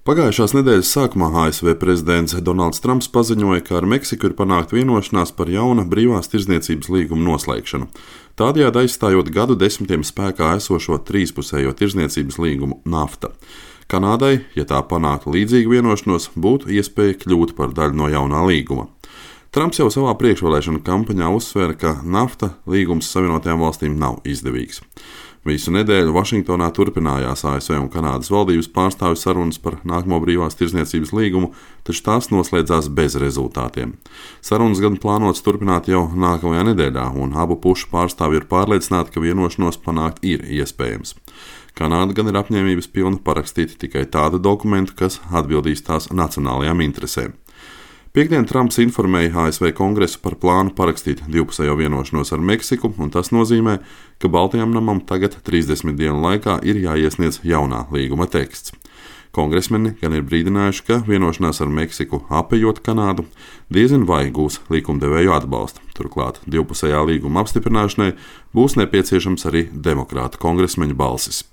Pagājušās nedēļas sākumā ASV prezidents Donalds Trumps paziņoja, ka ar Meksiku ir panākta vienošanās par jauna brīvās tirdzniecības līguma noslēgšanu, tādējādi aizstājot gadu desmitiem spēkā esošo trīspusējo tirdzniecības līgumu NAFTA. Kanādai, ja tā panāktu līdzīgu vienošanos, būtu iespēja kļūt par daļu no jaunā līguma. Trumps jau savā priekšvēlēšanu kampaņā uzsvēra, ka NAFTA līgums Savienotajām valstīm nav izdevīgs. Visu nedēļu Vašingtonā turpinājās ASV un Kanādas valdības pārstāvju sarunas par nākamo brīvās tirdzniecības līgumu, taču tās noslēdzās bez rezultātiem. Sarunas gan plānotas turpināt jau nākamajā nedēļā, un abu pušu pārstāvji ir pārliecināti, ka vienošanos panākt ir iespējams. Kanāda gan ir apņēmības pilna parakstīt tikai tādu dokumentu, kas atbildīs tās nacionālajām interesēm. Piektdien Trumps informēja ASV Kongresu par plānu parakstīt divpusējo vienošanos ar Meksiku, un tas nozīmē, ka Baltajam namam tagad 30 dienu laikā ir jāiesniedz jaunā līguma teksts. Kongresmeni gan ir brīdinājuši, ka vienošanās ar Meksiku apejot Kanādu diezin vai gūs likumdevēju atbalstu. Turklāt divpusējā līguma apstiprināšanai būs nepieciešams arī demokrātu kongresmeņu balsis.